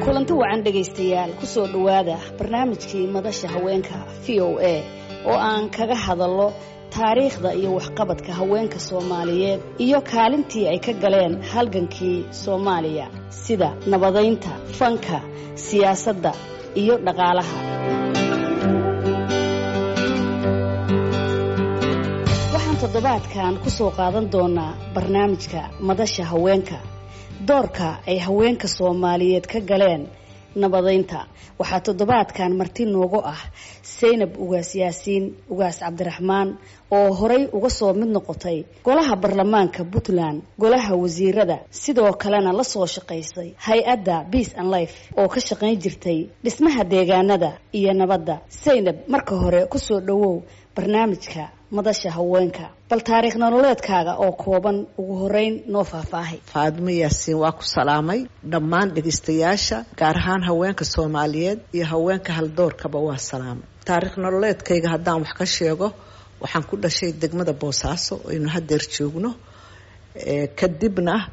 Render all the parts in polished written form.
Kulanti wacan dhegaystayaal, kusoo dhowaada barnaamijkii Madasha Haweenka VOA oo aan kaga hadallo taariikhda iyo waxqabadka haweenka Soomaaliyeed iyo kaalintii ay ka galeen halgankii Soomaaliya, sida nabadaynta, fanka, siyaasadda iyo dhaqaalaha. Waxaan toddobaadkan ku soo qaadan doonaa barnaamijka Madasha Haweenka doorka ay haweenka Soomaaliyeed ka galeen nabadaynta. Waxaa toddobaadkan marti noogu ah Saynab Ugaas Yaasiin Ugaas Cabdiraxmaan oo horay uga soo mid noqotay golaha baarlamaanka Puntland, golaha wasiirada, sidoo kalena la soo shaqaysay hay-adda Peace and Life oo ka shaqayn jirtay dhismaha deegaanada iyo nabadda. Saynab, marka hore kusoo dhowow barnaamijka Madasha Haweenka. Bal taariikh nololeedkaaga oo kooban ugu horeyn noo faahfaahay. Faadmo Yaasiin, waa ku salaamay. Dhammaan dhegaystayaasha, gaar ahaan haweenka Soomaaliyeed iyo haweenka haldoorkaba, waa salaamay. Taariikh nololeedkayga haddaan wax ka sheego, waxaan ku dhashay degmada Boosaaso aynu hadeer joogno. Kadibna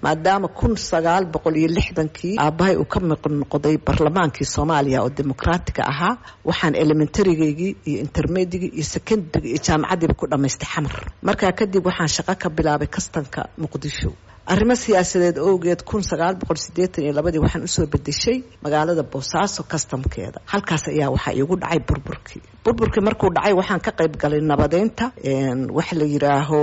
maadaama 1960-kii aabbahay uu ka miq noqday baarlamaankii Soomaaliya oo dimuqraatiga ahaa, waxaan elementarygii iyo intermediate-gii iyo secondaryga iyo jaamacaddiiba ku dhamaystay Xamar. Markaa kadib waxaan shaqo ka bilaabay kastanka Muqdisho. Arrimo siyaasadeed owgeed, 1982-dii waxaan usoo bedeshay magaalada Boosaaso kastamkeeda. Halkaas ayaa waxaa iigu dhacay burburkii. Burburkii markuu dhacay, waxaan ka qayb galay nabadeynta, waxa la yidhaaho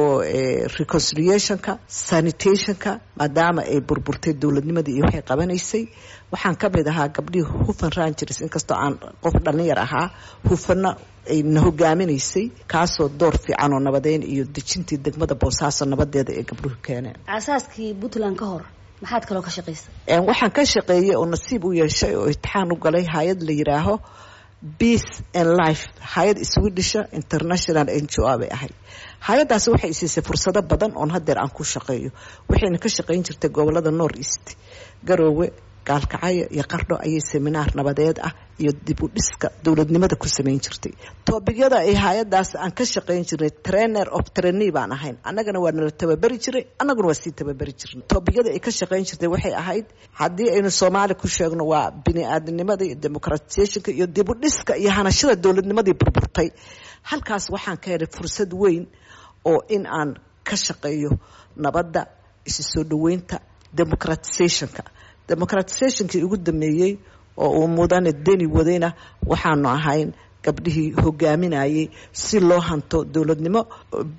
reconciliationka, sanitationka, maadaama ay burburtay dowladnimadii iyo waxay qabanaysay. Waxaan ka mid ahaa gabdhihii Hufan Rangers, inkastoo aan qof dhalinyar ahaa, Hufana ay na hogaaminaysay, kaasoo door fiican oo nabadeyn iyo dejintii degmada Boosaaso nabadeeda ay gabdhuhu keeneen. Aasaaskii Puntland ka hor maxaad kaloo ka shaqaysay? Waxaan ka shaqeeyey oo nasiib u yeeshay oo imtixaan u galay hay-ad la yidhaaho Peace and Life, hay-ad Swedisha international NGO bay ahayd. Hay-addaasi waxay siisay fursado badan oon hadeer aan ku shaqeeyo. Waxayna ka shaqeyn jirtay gobolada North East, Garoowe, Gaalkacyo iyo Qardho ayay seminaar nabadeed ah iyo dib u dhiska dowladnimada ku samayn jirtay. Topicyada ay hay-adaas aan ka shaqayn jirnay, trainer of trainee baan ahayn, annagana waa nala tababari jiray, annaguna waa sii tababari jirnay. Topicyada ay ka shaqayn jirtay waxay ahayd, haddii aynu Soomaali ku sheegno, waa bini aadamnimada iyo democratizationka iyo dib u dhiska iyo hanashada dowladnimadii burburtay. Halkaas waxaan ka helay fursad weyn oo in aan ka shaqeeyo nabadda, isu soo dhaweynta, democratizationka. Democratizationkii ugu dambeeyey oo uu mudane Deni wadayna, waxaanu ahayn gabdhihii hogaaminayay si loo hanto dowladnimo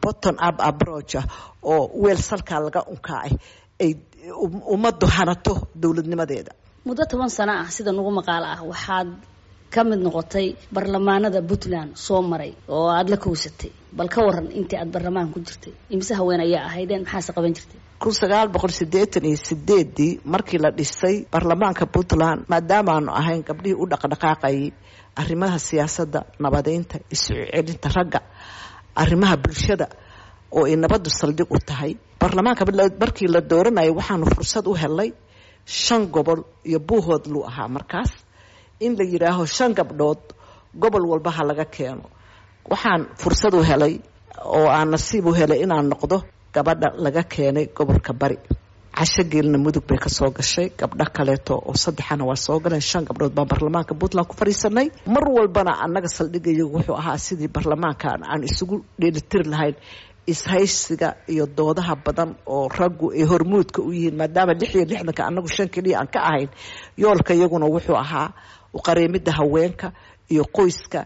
bottom up approach ah oo weel salkaa laga unkaacay ay ummaddu hanato dowladnimadeeda. Muddo 10 sano ah, sida nagu maqaalo ah, waxaad ka mid noqotay baarlamaanada Puntland soo maray oo aada la kowsatay. Bal ka waran intii aad baarlamaanka ku jirtay, imise haween ayaa ahaydeen, maxaase qaban jirtay? 1988-dii markii la dhisay baarlamaanka Puntland, maadaamaanu ahayn gabdhihii u dhaqdhaqaaqayay arrimaha siyaasadda, nabadeynta, isu celinta ragga, arrimaha bulshada oo ay nabaddu saldhig u tahay, baarlamaanka markii la dooranayo waxaanu fursad u helay shan gobol iyo Buuhood luu ahaa markaas in la yidhaaho shan gabdhood gobol walba ha laga keeno. Waxaan fursad u helay oo aan nasiib u helay inaan noqdo gabadha laga keenay gobolka Bari. Casho Geelna Mudug bay kasoo gashay, gabdho kaleeto oo saddexana waa soo galeen. Shan gabdhood baan baarlamaanka Puntland ku fadhiisanay. Mar walbana annaga saldhigayagu wuxuu ahaa sidii baarlamaanka aan isugu dheelitiri lahayn ishaysiga iyo doodaha badan oo raggu ay hormuudka u yihiin, maadaama 66-ka annagu shan keliya aan ka ahayn. Yoolka iyaguna wuxuu ahaa uqareemida haweenka iyo qoyska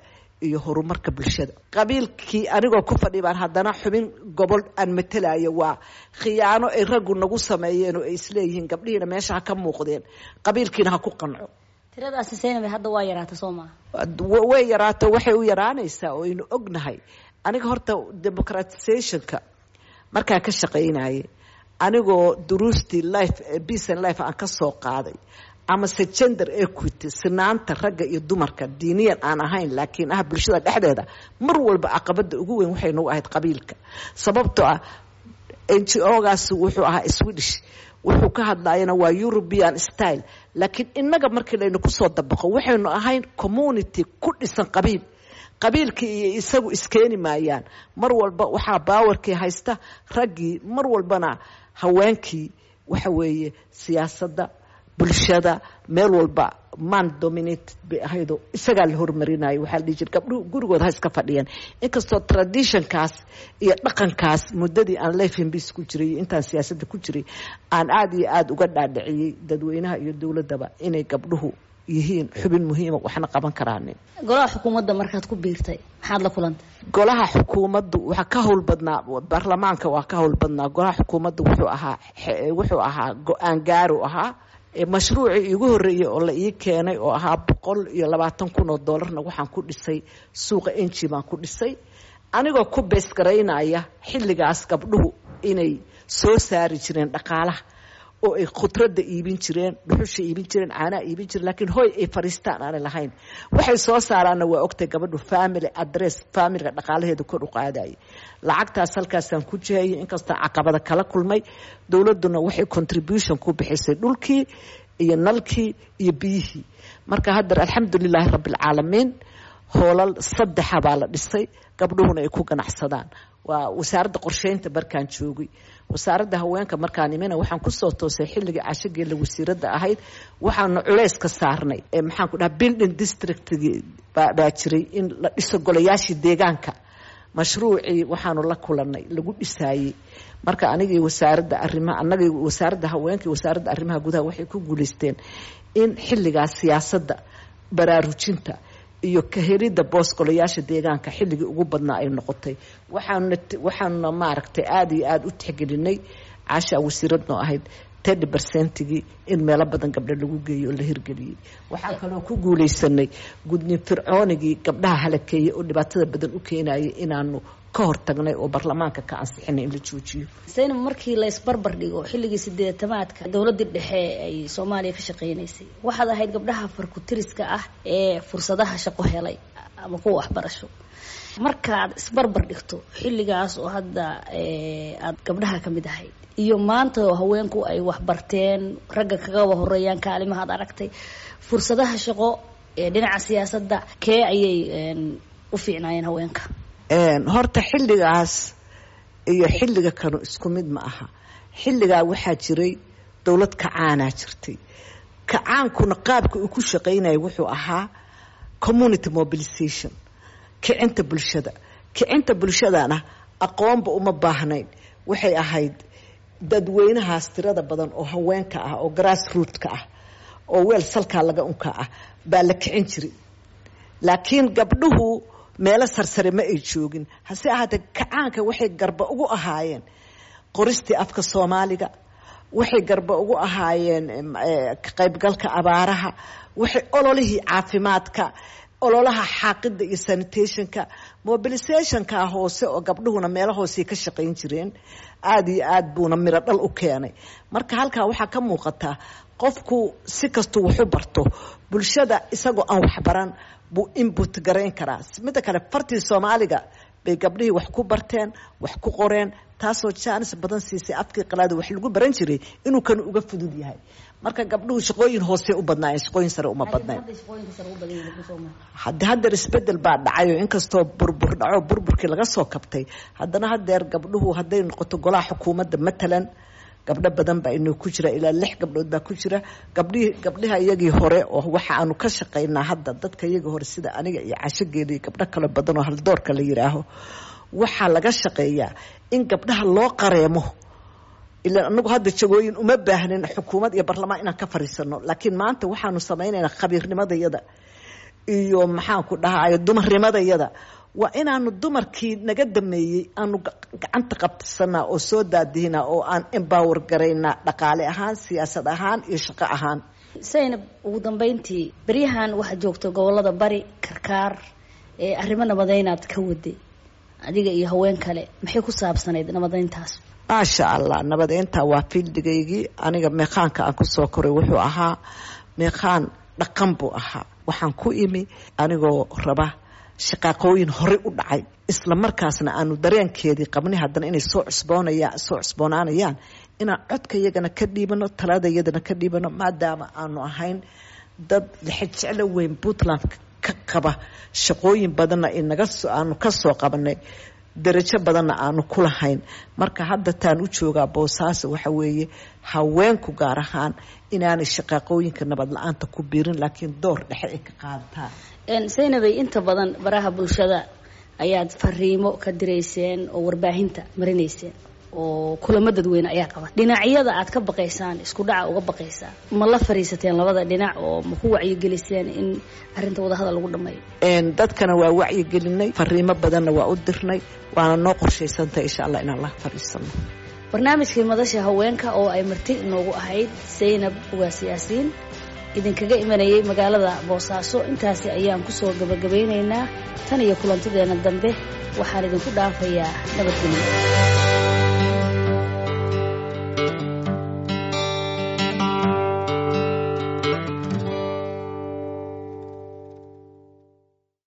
iyo horumarka bulshada. Qabiilkii anigoo ku fadhi baan haddana xubin gobol aan matelayo. Waa khiyaano ay raggu nagu sameeyeen oo ay isleeyihiin gabdhihiina meesha ha ka muuqdeen, qabiilkiina ha ku qanco. Tiradaasi, Saynab, hadda waa yaraata, soo maaha? Way yaraato. Waxay u yaraanaysaa oo aynu ognahay, aniga horta democratizationka markaa ka shaqaynayay, anigoo duruustii Life, Peace and Life aan ka soo qaaday, amase gender equity, sinaanta ragga iyo dumarka, diiniyan aan ahayn laakiin ah bulshada dhexdeeda, mar walba caqabada ugu weyn waxay nagu ahayd qabiilka, sababtoo ah NGO-gaas wuxuu ahaa Swedish, wuxuu ka hadlayana waa European style, laakiin innaga markii laynu kusoo dabaqo, waxaynu ahayn community ku dhisan qabiil. Qabiilkii iyo isagu iskeeni maayaan. Mar walba waxaa powerkii haysta raggii, mar walbana haweenkii waxa weeye siyaasadda Bulshada meel walba man dominated bay ahaydoo isagaa la hormarinaya. Waxaa la dhihi jira gabdhuhu gurigooda ha iska fadhiyaan, inkastoo traditionkaas iyo dhaqankaas muddadii aan Life in Peace ku jiray iyo intaan siyaasadda ku jiray aan aada iyo aada uga dhaadhiciyey dadweynaha iyo dowladdaba inay gabdhuhu yihiin xubin muhiima, waxna qaban karaanin. Golaha xukuumadda markaad ku biirtay, maxaad la kulantay? Golaha xukuumaddu waxaa ka howl badnaa baarlamaanka, waa ka howl badnaa. Golaha xukuumaddu wuxuu ahaa go-aan gaaru ahaa. Mashruucii iigu horreeyey oo la ii keenay oo ahaa 120,000 oo doolarna waxaan ku dhisay suuqa Enji baan ku dhisay, anigoo ku beesgaraynaya xilligaas gabdhuhu inay soo saari jireen dhaqaalaha oo ay khudradda iibin jireen, dhuxusha iibin jireen, caanaha iibin jireen, laakiin hoy ay fariistaan aanay lahayn. Waxay soo saaraanna waa ogtay gabadhu family address, familyga dhaqaalaheeda kor u qaadayay. Lacagtaas halkaasaan ku jihayay, inkastoo caqabada kala kulmay. Dowladduna waxay contribution ku bixisay dhulkii iyo nalkii iyo biyihii. Marka haddeer, alxamdulilaahi rabbilcaalamiin, hoolal saddexa baa la dhisay, gabdhuhuna ay ku ganacsadaan. Waa wasaaradda qorsheynta markaan joogay. Wasaaradda haweenka markaan imina, waxaan kusoo toosay xilligii Casho Geelle wasiiradda ahayd. Waxaanu culays ka saarnay, maxaan ku dhaha, building districtgii baa jiray in la dhiso golayaashii deegaanka. Mashruucii waxaanu la kulanay lagu dhisaayey. Marka anigii wasaaradda arrimaha, anagii wasaaradda haweenka iyo wasaaradda arrimaha gudaha waxay ku guulaysteen in xilligaas siyaasadda baraarujinta iyo ka helidda boos golayaasha deegaanka xilligii ugu badnaa ay noqotay. Waxaanuna maaragtay aada iyo aada u tixgelinay, Caasha wasiiradnoo ahayd, 30 percentigii in meelo badan gabdho lagu geeyo oo la hirgeliyey. Waxaa kaloo ku guulaysanay gudniin fircoonigii gabdhaha halakeeyey oo dhibaatada badan u keenayay inaanu ka hortagnay oo baarlamaanka ka ansixinay in la joojiyo. Saynab, markii la isbarbar dhigo xilligii sideetamaadka dowladdii dhexe ay Soomaaliya ka shaqeynaysay, waxaad ahayd gabdhaha farkutiriska ah ee fursadaha shaqo helay ama kuwa waxbarasho. Markaad isbarbar dhigto xilligaas oo hadda aad gabdhaha ka mid ahayd iyo maanta oo haweenku ay waxbarteen, ragga kagaba horeeyaan kaalimahaad aragtay, fursadaha shaqo ee dhinaca siyaasadda, kee ayay u fiicnaayeen haweenka? Horta xilligaas iyo xilliga kanu isku mid ma aha. Xilligaa waxaa jiray dowlad kacaanaa jirtay. Kacaankuna qaabka uu ku shaqaynaya wuxuu ahaa community mobilization, kicinta bulshada. Kicinta bulshadana aqoonba uma baahnayn. Waxay ahayd dadweynahaas tirada badan oo haweenka ah oo grass rootka ah oo weel salkaa laga unka ah baa la kicin jiray, laakiin gabdhuhu meelo sarsare ma ay joogin. Hase ahaatee, kacaanka waxay garba ugu ahaayeen qoristii afka Soomaaliga, waxay garba ugu ahaayeen ka qaybgalka abaaraha, waxay ololihii caafimaadka, ololaha xaaqidda iyo sanitationka, mobilizationka hoose oo gabdhuhuna meelo hoosey ka shaqayn jireen, aada iyo aad buuna miro dhal u keenay. Marka halkaa waxaa ka muuqataa qofku si kastuu waxu barto, bulshada isagoo aan waxbaran buu input garayn karaa. Midda kale, fartii Soomaaliga bay gabdhihii wax ku barteen, wax ku qoreen, taasoo jaanis badan siisay afkii qalaada wax lagu baran jiray inuu kan uga fudud yahay. Marka gabdhuhu shaqooyin hoose u badnaayeen, shaqooyin sare uma badnayn. Hadde haddeer isbedel baa dhacayo. Inkastoo burbur dhaco, burburkii laga soo kabtay, haddana haddeer gabdhuhu hadday noqoto golaha xukuumadda matalan, gabdho badan baa inoo ku jira, ilaa lix gabdhood baa ku jira. Gabdhihii gabdhaha iyagii hore oo waxa aanu ka shaqaynaa hadda, dadka iyagii hore sida aniga iyo Casho Geele iyo gabdho kale badan oo haldoorka la yidhaaho, waxaa laga shaqeeyaa in gabdhaha loo qareemo. Ilaa anagu hadda jagooyin uma baahnin xukuumad iyo barlamaan inaan ka fariisano, laakiin maanta waxaanu samaynaynaa khabiirnimadayada iyo, maxaan ku dhahayo, dumarnimadayada. Waa inaanu dumarkii naga dameeyey aanu gacanta qabsanaa oo soo daadihinaa oo aan empower garaynaa, dhaqaale ahaan, siyaasad ahaan iyo shaqo ahaan. Saynab, ugu dambeyntii, beryahan waxaad joogta gobolada Bari, Karkaar, ee arrimo nabadeynaad ka waday adiga iyo haween kale. Maxay ku saabsanayd nabadeyntaas? Maasha Allah, nabadeynta waa fieldigaygii. Aniga meeqaanka aan kusoo koray wuxuu ahaa meeqaan dhaqan buu ahaa. Waxaan ku imi anigoo raba shaqaaqooyin horey u dhacay, isla markaasna aanu dareenkeedii qabnay haddana inay soo cusboonaya soo cusboonaanayaan, inaan codka iyagana ka dhiibano, talada iyadana ka dhiibano, maadaama aanu ahayn dad lixijeclo weyn Puntland ka qaba, shaqooyin badanna inaga aanu ka soo qabanay. Darajo badanna aanu ku lahayn. Marka hadda taan u joogaa Boosaaso waxa weeye haweenku gaar ahaan inaanay shaqaaqooyinka nabad la-aanta ku biirin, laakiin door dhexe ay ka qaadataan. Saynabay, inta badan baraha bulshada ayaad fariimo ka dirayseen oo warbaahinta marinayseen oo kulamo dadweyne ayaa qaban. Dhinacyada aad ka baqaysaan, isku dhaca uga baqaysaan, ma la fariisateen labada dhinac oo ma ku wacyigeliseen in arrinta wadahadal lagu dhameeyo? Dadkana waa wacyigelinay, fariimo badanna waa u dirnay, waana noo qorshaysantahay insha Allah inaan la fariisano. Barnaamijkii Madasha Haweenka oo ay marti inoogu ahayd Saynab Ugaas Yaasiin, idinkaga imanayay magaalada Boosaaso, intaasi ayaan kusoo gabagabeynaynaa. Tan iyo kulantideena dambe waxaan idinku dhaafayaa nabadgelyo.